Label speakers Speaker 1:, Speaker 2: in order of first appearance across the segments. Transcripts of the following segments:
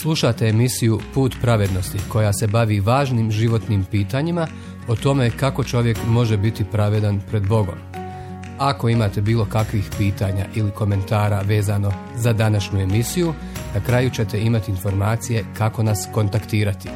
Speaker 1: Slušate emisiju Put pravednosti koja se bavi važnim životnim pitanjima o tome kako čovjek može biti pravedan pred Bogom. Ako imate bilo kakvih pitanja ili komentara vezano za današnju emisiju, na kraju ćete imati informacije kako nas kontaktirati.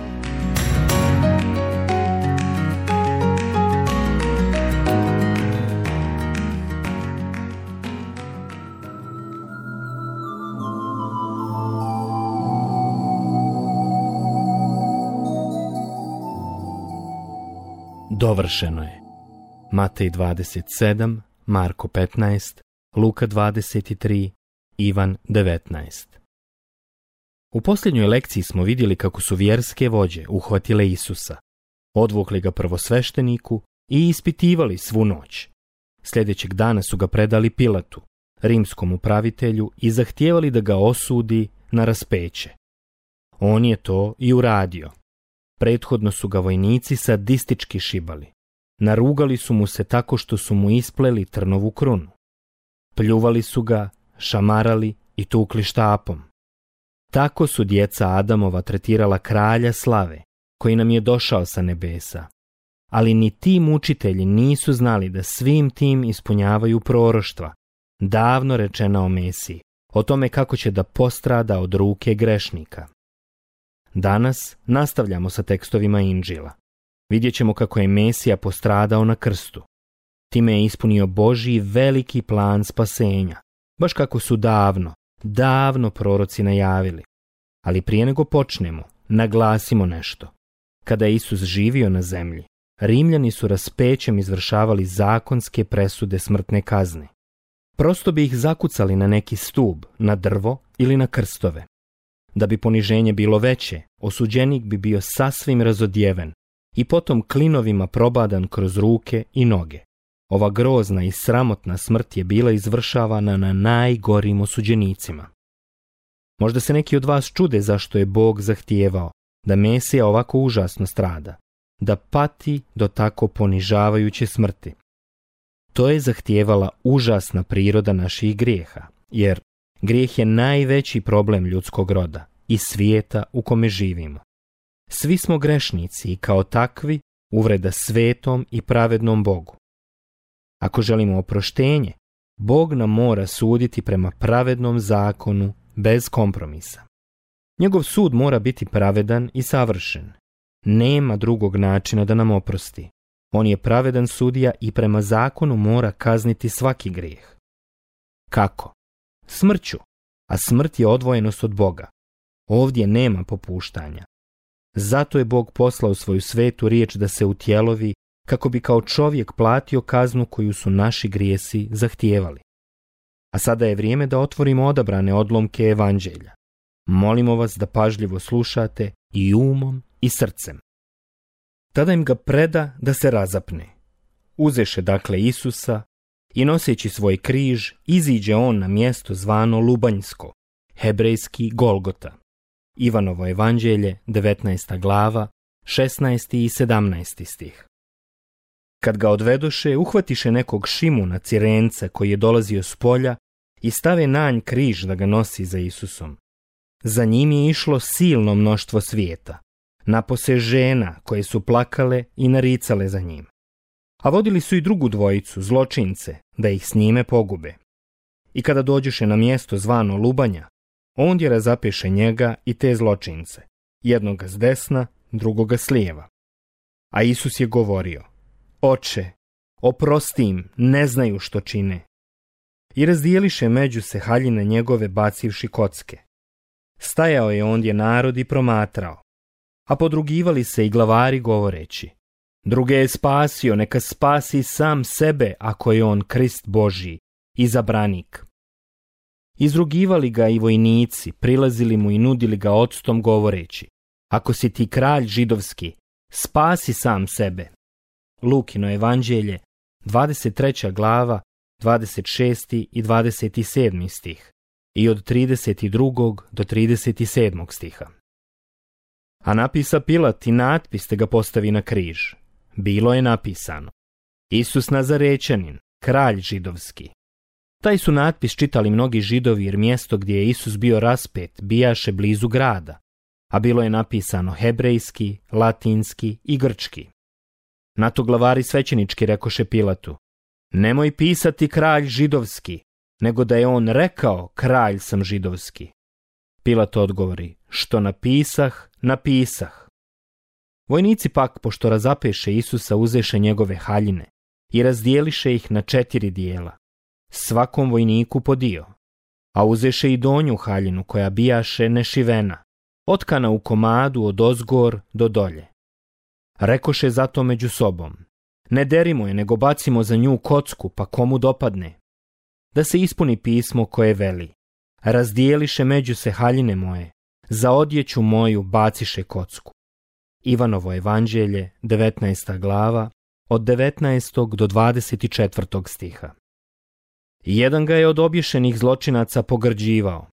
Speaker 2: Dovršeno je. Matej 27, Marko 15, Luka 23, Ivan 19. U posljednjoj lekciji smo vidjeli kako su vjerske vođe uhvatile Isusa, odvukli ga prvosvešteniku i ispitivali svu noć. Sljedećeg dana su ga predali Pilatu, rimskom upravitelju, i zahtijevali da ga osudi na raspeće. On je to i uradio. Prethodno su ga vojnici sadistički šibali. Narugali su mu se tako što su mu ispleli trnovu krunu. Pljuvali su ga, šamarali i tukli štapom. Tako su djeca Adamova tretirala kralja slave, koji nam je došao sa nebesa. Ali ni ti mučitelji nisu znali da svim tim ispunjavaju proroštva, davno rečena o Mesiji, o tome kako će da postrada od ruke grešnika. Danas nastavljamo sa tekstovima Inđila. Vidjet ćemo kako je Mesija postradao na krstu. Time je ispunio Božji veliki plan spasenja, baš kako su davno proroci najavili. Ali prije nego počnemo, naglasimo nešto. Kada je Isus živio na zemlji, Rimljani su raspećem izvršavali zakonske presude smrtne kazne. Prosto bi ih zakucali na neki stub, na drvo ili na krstove. Da bi poniženje bilo veće, osuđenik bi bio sasvim razodjeven i potom klinovima probadan kroz ruke i noge. Ova grozna i sramotna smrt je bila izvršavana na najgorim osuđenicima. Možda se neki od vas čude zašto je Bog zahtijevao da Mesija ovako užasno strada, da pati do tako ponižavajuće smrti. To je zahtijevala užasna priroda naših grijeha, jer grijeh je najveći problem ljudskog roda i svijeta u kome živimo. Svi smo grešnici i kao takvi uvreda svetom i pravednom Bogu. Ako želimo oproštenje, Bog nam mora suditi prema pravednom zakonu bez kompromisa. Njegov sud mora biti pravedan i savršen. Nema drugog načina da nam oprosti. On je pravedan sudija i prema zakonu mora kazniti svaki grijeh. Kako? Smrću, a smrt je odvojenost od Boga. Ovdje nema popuštanja. Zato je Bog poslao svoju svetu riječ da se utjelovi kako bi kao čovjek platio kaznu koju su naši grijesi zahtijevali. A sada je vrijeme da otvorimo odabrane odlomke evanđelja. Molimo vas da pažljivo slušate i umom i srcem. Tada im ga preda da se razapne. Uzeše dakle Isusa i noseći svoj križ iziđe on na mjesto zvano Lubanjsko, hebrejski Golgota. Ivanovo evanđelje, 19. glava, 16. i 17. stih. Kad ga odvedoše, uhvatiše nekog Šimuna Cirenca koji je dolazio s polja i stave na nj križ da ga nosi za Isusom. Za njim je išlo silno mnoštvo svijeta, napose žena koje su plakale i naricale za njim. A vodili su i drugu dvojicu, zločince, da ih s njime pogube. I kada dođeše na mjesto zvano Lubanja, ondje razapeše njega i te zločince, jednoga s desna, drugoga s lijeva. A Isus je govorio: Oče, oprosti im, ne znaju što čine. I razdijeliše među se haljine njegove bacivši kocke. Stajao je ondje narod i promatrao, a podrugivali se i glavari govoreći: Druge je spasio, neka spasi sam sebe ako je on Krist Božji, izabranik. Izrugivali ga i vojnici, prilazili mu i nudili ga octom govoreći: Ako si ti kralj židovski, spasi sam sebe. Lukino evanđelje, 23. glava, 26. i 27. stih i od 32. do 37. stiha. A napisa Pilat i natpis te ga postavi na križ. Bilo je napisano: Isus Nazarečanin, kralj židovski. Taj su natpis čitali mnogi Židovi jer mjesto gdje je Isus bio raspet bijaše blizu grada, a bilo je napisano hebrejski, latinski i grčki. Na to glavari svećenički rekoše Pilatu: nemoj pisati kralj židovski, nego da je on rekao kralj sam židovski. Pilat odgovori: što napisah, napisah. Vojnici pak, pošto razapeše Isusa, uzeše njegove haljine i razdijeliše ih na 4 dijela, svakom vojniku po dio, a uzeše i donju haljinu koja bijaše nešivena, otkana u komadu od ozgor do dolje. Rekoše zato među sobom: ne derimo je, nego bacimo za nju kocku, pa komu dopadne. Da se ispuni pismo koje veli: razdijeliše među se haljine moje, za odjeću moju baciše kocku. Ivanovo evanđelje, 19. glava, od 19. do 24. stiha. Jedan ga je od obješenih zločinaca pogrđivao: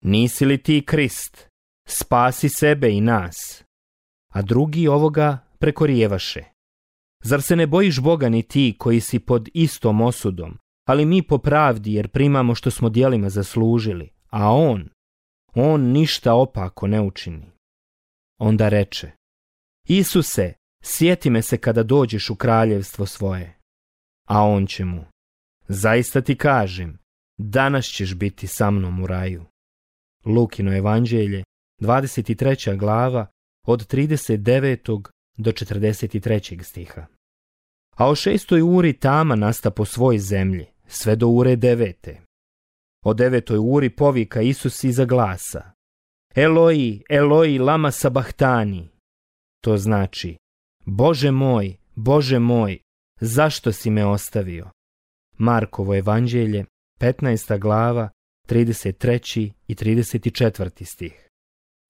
Speaker 2: nisi li ti Krist, spasi sebe i nas. A drugi ovoga prekorijevaše: zar se ne bojiš Boga ni ti koji si pod istom osudom, ali mi po pravdi, jer primamo što smo djelima zaslužili, a on ništa opako ne učini. Onda reče: Isuse, sjeti me se kada dođeš u kraljevstvo svoje. A on će mu: zaista ti kažem, danas ćeš biti sa mnom u raju. Lukino evanđelje, 23. glava, od 39. do 43. stiha. A o 6. uri tama nasta po svoj zemlji, sve do ure 9. O 9. uri povika Isus iza glasa: Eloi, Eloi, lama sabahtani. To znači: Bože moj, zašto si me ostavio? Markovo evanđelje, 15. glava, 33. i 34. stih.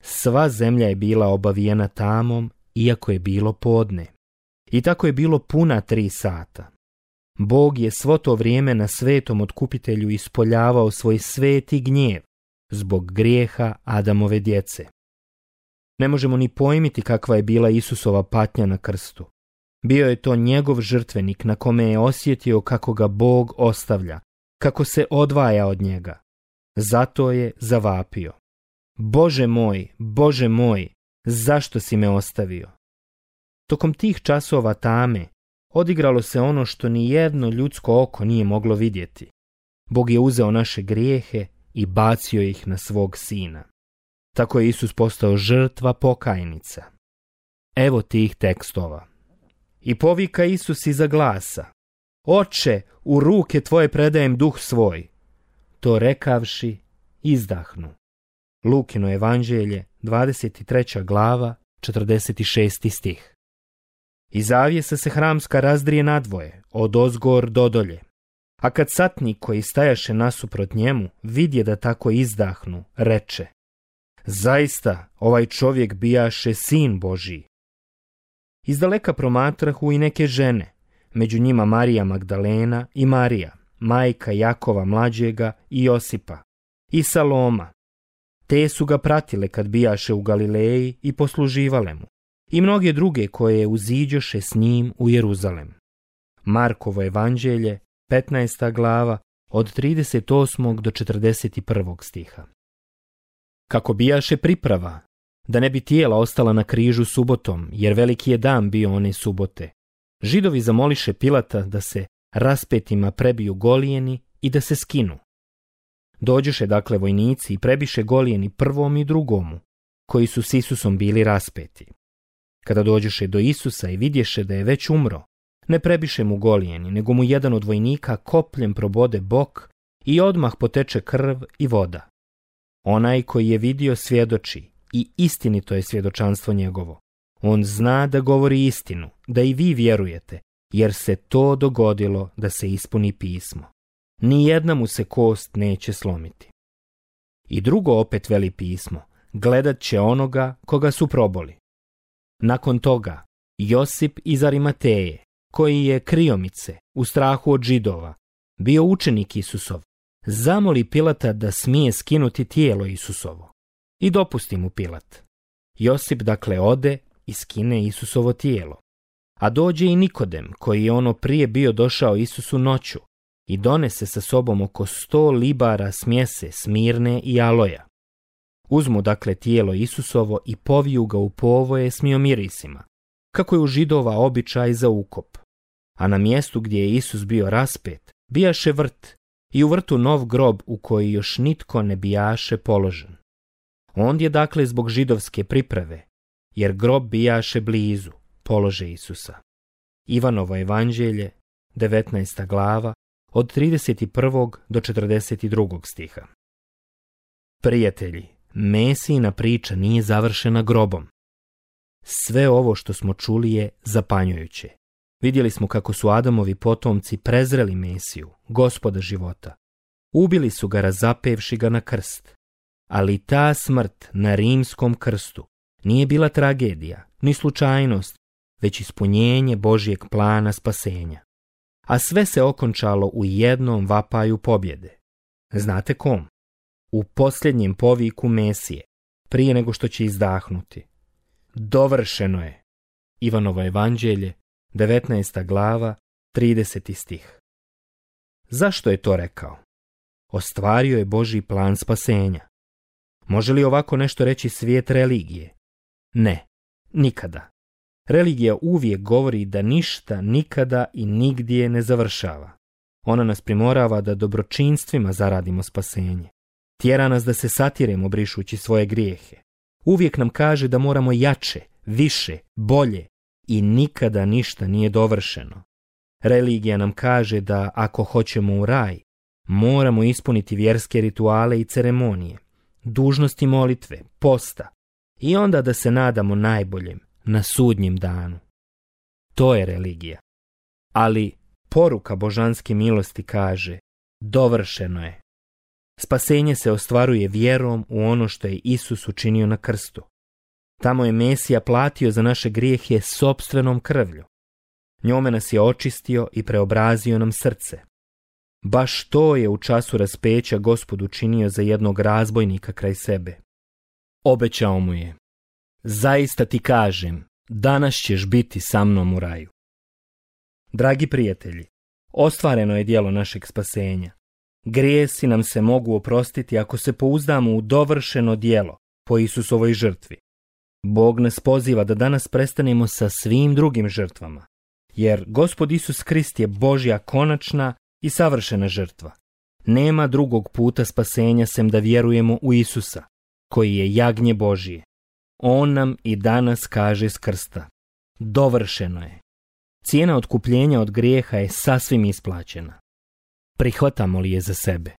Speaker 2: Sva zemlja je bila obavijena tamom, iako je bilo podne. I tako je bilo puna 3 sata. Bog je svo to vrijeme na svetom otkupitelju ispoljavao svoj sveti gnjev zbog grijeha Adamove djece. Ne možemo ni pojmiti kakva je bila Isusova patnja na krstu. Bio je to njegov žrtvenik na kome je osjetio kako ga Bog ostavlja, kako se odvaja od njega. Zato je zavapio: Bože moj, zašto si me ostavio? Tokom tih časova tame odigralo se ono što ni jedno ljudsko oko nije moglo vidjeti. Bog je uzeo naše grijehe i bacio ih na svog sina. Tako je Isus postao žrtva pokajnica. Evo tih tekstova. I povika Isus iza glasa: Oče, u ruke tvoje predajem duh svoj. To rekavši, izdahnu. Lukino evanđelje, 23. glava, 46. stih. I zavjesa se hramska razdrije nadvoje, od ozgor do dolje. A kad satnik koji stajaše nasuprot njemu vidje da tako izdahnu, reče: Zaista, ovaj čovjek bijaše sin Božji. Izdaleka promatrahu i neke žene, među njima Marija Magdalena i Marija, majka Jakova mlađega i Josipa, i Saloma. Te su ga pratile kad bijaše u Galileji i posluživale mu, i mnoge druge koje uziđoše s njim u Jeruzalem. Markovo evanđelje, 15. glava, od 38. do 41. stiha. Kako bijaše priprava, da ne bi tijela ostala na križu subotom, jer veliki je dan bio one subote, Židovi zamoliše Pilata da se raspetima prebiju golijeni i da se skinu. Dođoše dakle vojnici i prebiše golijeni prvom i drugomu, koji su s Isusom bili raspeti. Kada dođoše do Isusa i vidješe da je već umro, ne prebiše mu golijeni, nego mu jedan od vojnika kopljem probode bok i odmah poteče krv i voda. Onaj koji je vidio svjedoči, i istinito je svjedočanstvo njegovo. On zna da govori istinu, da i vi vjerujete, jer se to dogodilo da se ispuni pismo. Nijedna mu se kost neće slomiti. I drugo opet veli pismo: gledat će onoga koga su proboli. Nakon toga, Josip iz Arimateje, koji je kriomice, u strahu od Židova, bio učenik Isusov, zamoli Pilata da smije skinuti tijelo Isusovo. I dopusti mu Pilat. Josip dakle ode i skine Isusovo tijelo. A dođe i Nikodem, koji je ono prije bio došao Isusu noću, i donese sa sobom oko 100 libara smjese smirne i aloja. Uzmu dakle tijelo Isusovo i poviju ga u povoje s miomirisima, kako je u Židova običaj za ukop. A na mjestu gdje je Isus bio raspet, bijaše vrt i u vrtu nov grob u koji još nitko ne bijaše položen. Ondje dakle zbog židovske priprave, jer grob bijaše blizu, polože Isusa. Ivanovo evanđelje, 19. glava, od 31. do 42. stiha. Prijatelji, Mesijina priča nije završena grobom. Sve ovo što smo čuli je zapanjujuće. Vidjeli smo kako su Adamovi potomci prezreli Mesiju, Gospoda života. Ubili su ga razapevši ga na krst. Ali ta smrt na rimskom krstu nije bila tragedija, ni slučajnost, već ispunjenje Božjeg plana spasenja. A sve se okončalo u jednom vapaju pobjede. Znate kom? U posljednjem poviku Mesije, prije nego što će izdahnuti. Dovršeno je. Ivanovo evanđelje, 19. glava, 30. stih. Zašto je to rekao? Ostvario je Božji plan spasenja. Može li ovako nešto reći svijet religije? Ne, nikada. Religija uvijek govori da ništa, nikada i nigdje ne završava. Ona nas primorava da dobročinstvima zaradimo spasenje. Tjera nas da se satiremo brišući svoje grijehe. Uvijek nam kaže da moramo jače, više, bolje i nikada ništa nije dovršeno. Religija nam kaže da ako hoćemo u raj, moramo ispuniti vjerske rituale i ceremonije, dužnosti molitve, posta i onda da se nadamo najboljem na sudnjem danu. To je religija. Ali poruka božanske milosti kaže: dovršeno je. Spasenje se ostvaruje vjerom u ono što je Isus učinio na krstu. Tamo je Mesija platio za naše grijehe sopstvenom krvlju. Njome nas je očistio i preobrazio nam srce. Baš to je u času raspeća Gospod učinio za jednog razbojnika kraj sebe. Obećao mu je: zaista ti kažem, danas ćeš biti sa mnom u raju. Dragi prijatelji, ostvareno je djelo našeg spasenja. Grijesi nam se mogu oprostiti ako se pouzdamo u dovršeno djelo po Isusovoj žrtvi. Bog nas poziva da danas prestanemo sa svim drugim žrtvama, jer Gospod Isus Krist je Božja konačna i savršena žrtva. Nema drugog puta spasenja sem da vjerujemo u Isusa, koji je jagnje Božije. On nam i danas kaže s krsta: dovršeno je. Cijena otkupljenja od grijeha je sasvim isplaćena. Prihvatamo li je za sebe?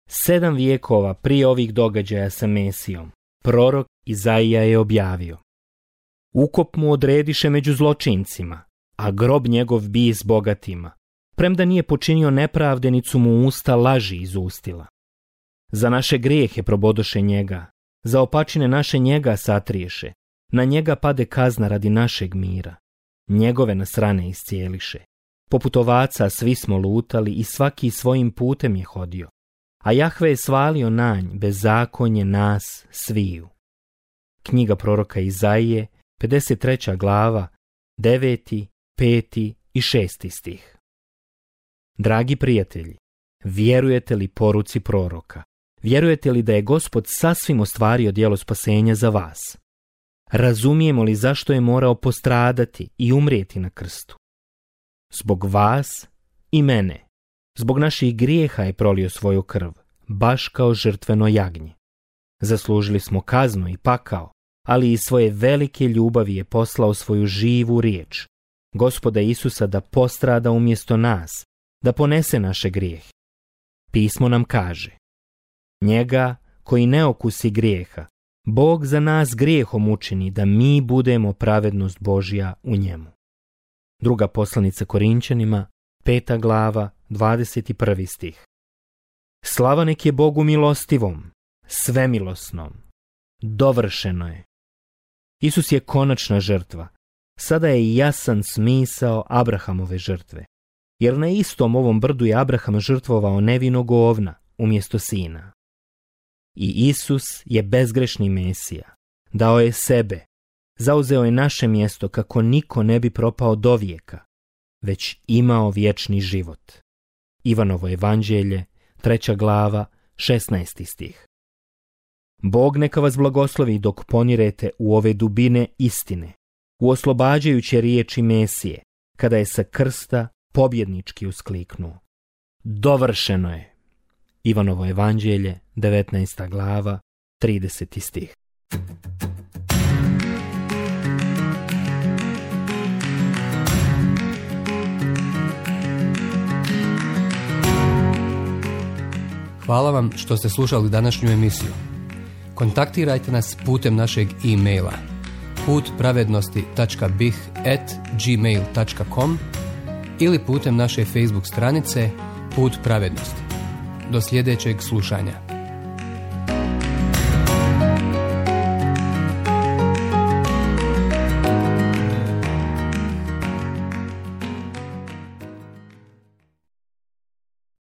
Speaker 2: 7 vijekova prije ovih događaja sa Mesijom, prorok Izaija je objavio: ukop mu odrediše među zločincima, a grob njegov bi s bogatima. Premda nije počinio nepravde, nit su mu usta laži izustila. Za naše grijehe probodoše njega, za opačine naše njega satriješe, na njega pade kazna radi našeg mira. Njegove nas rane iscijeliše. Poput ovaca svi smo lutali i svaki svojim putem je hodio, a Jahve je svalio na nj bezakonje nas sviju. Knjiga proroka Izaije, 53. glava, 9., 5. i 6. stih. Dragi prijatelji, vjerujete li poruci proroka? Vjerujete li da je Gospod sasvim ostvario djelo spasenja za vas? Razumijemo li zašto je morao postradati i umrijeti na krstu? Zbog vas i mene, zbog naših grijeha je prolio svoju krv, baš kao žrtveno jagnje. Zaslužili smo kaznu i pakao, ali iz svoje velike ljubavi je poslao svoju živu riječ, Gospoda Isusa, da postrada umjesto nas, da ponese naše grijehe. Pismo nam kaže: njega koji ne okusi grijeha, Bog za nas grijehom učini da mi budemo pravednost Božja u njemu. Druga poslanica Korinčanima, 5. glava, 21. stih. Slava nek je Bogu milostivom, svemilosnom. Dovršeno je. Isus je konačna žrtva. Sada je jasan smisao Abrahamove žrtve, jer na istom ovom brdu je Abraham žrtvovao nevinog ovna umjesto sina. I Isus je bezgrešni Mesija, dao je sebe, zauzeo je naše mjesto kako niko ne bi propao do vijeka, već imao vječni život. Ivanovo evanđelje, 3. glava, 16. stih. Bog neka vas blagoslovi dok ponirete u ove dubine istine, u oslobađajuće riječi Mesije, kada je sa krsta pobjednički uskliknuo: dovršeno je. Ivanovo evanđelje, 19. glava, 30. stih.
Speaker 1: Hvala vam što ste slušali današnju emisiju. Kontaktirajte nas putem našeg e-maila putpravednosti.bih@gmail.com ili putem naše Facebook stranice Put pravednosti. Do sljedećeg slušanja.